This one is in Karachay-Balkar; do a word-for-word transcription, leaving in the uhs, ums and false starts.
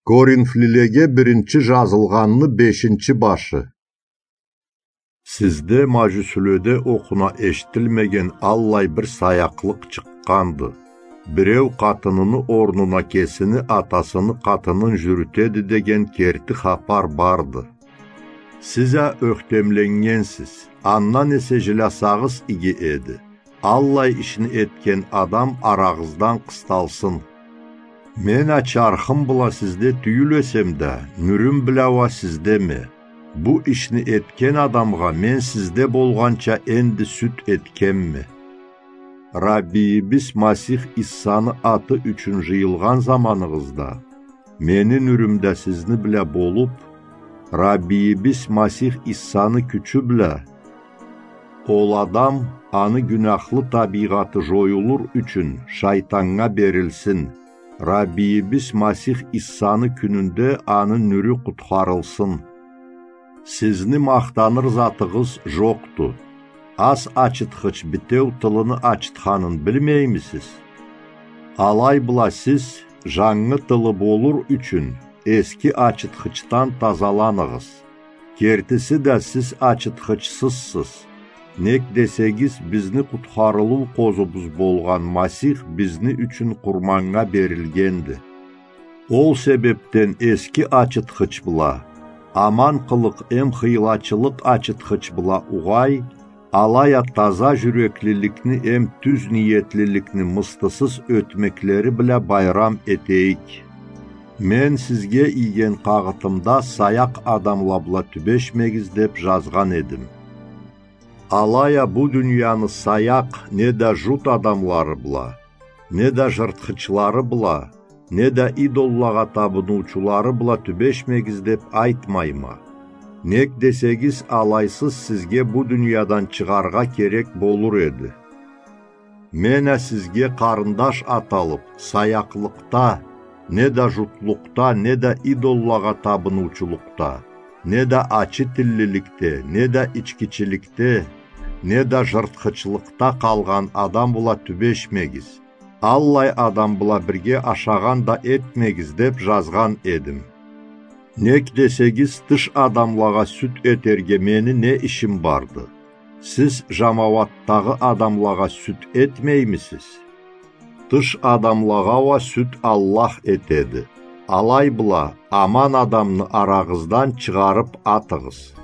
Коринфлилеге биринчи жазылгъанны бешинчи башы. Сизде мажюсюледе окъуна эшитилмеген аллай бир саякълыкъ чыкъгъанды. Биреу къатыныны орнуна кесини атасыны къатынын жюрютеди деген керти хапар барды. Сиз а ёхтемленнгенсиз, андан эсе жилясагъыз иги эди. Аллай ишни этген адам арагъыздан къысталсын. Мен а чархым бла сизде тюйюл эсем да, нюрюм бла уа сиздеме. Бу ишни этген адамгъа мен сизде болгъанча энди сюд этгенме. Раббийибиз Масих Иссаны аты ючюн жыйылгъан заманыгъызда, мени нюрюм да сизни бла болуп, Раббийибиз Масих Иссаны кючю бла, ол адам, аны гюнахлы табийгъаты жоюлур ючюн, шайтаннга берилсин, Раббийибиз Масих Иссаны кюнюнде аны нюрю къутхарылсын. Сизни махтаныр затыгъыз жокъду. Ас ачытхыч битеу тылыны ачытханын билмеймисиз? Алай бла сиз, жангы тылы болур ючюн, эски ачытхычдан тазаланыгъыз. Кертиси да сиз ачытхычсызсыз. Нек десегиз, бизни къутхарылыу къозубуз болгъан Масих бизни ючюн къурманнга берилгенди. Ол себепден эски ачытхыч бла, аман къылыкъ эм хыйлачылыкъ ачытхыч бла угъай, алай а таза жюреклиликни эм тюз ниетлиликни мыстысыз ётмеклери бла байрам этейик. Мен сизге ийген къагъытымда саякъ адамла бла тюбешмегиз деп жазгъан эдим. Алай а бу дунияны саякъ неда жут адамлары бла, неда жыртхычлары бла, неда идоллагъа табыныучулары бла тюбешмегиз деп айтмайма. Нек десегиз, алайсыз сизге бу дуниядан чыгъаргъа керек болур эди. Мен а сизге къарындаш аталып, саякълыкъда, неда жутлукъда, неда идоллагъа табыныучулукъда, неда ачы тиллиликде, неда ичкичиликде, неда жыртхычлыкъда къалгъан адам бла тюбешмегиз. Аллай адам бла бирге ашагъан да этмегиз деп жазгъан эдим. Нек десегиз, тыш адамлагъа сюд этерге мени не ишим барды? Сиз жамауатдагъы адамлагъа сюд этмеймисиз? Тыш адамлагъа уа сюд Аллах этеди. Алай бла аман адамны арагъыздан чыгъарып атыгъыз.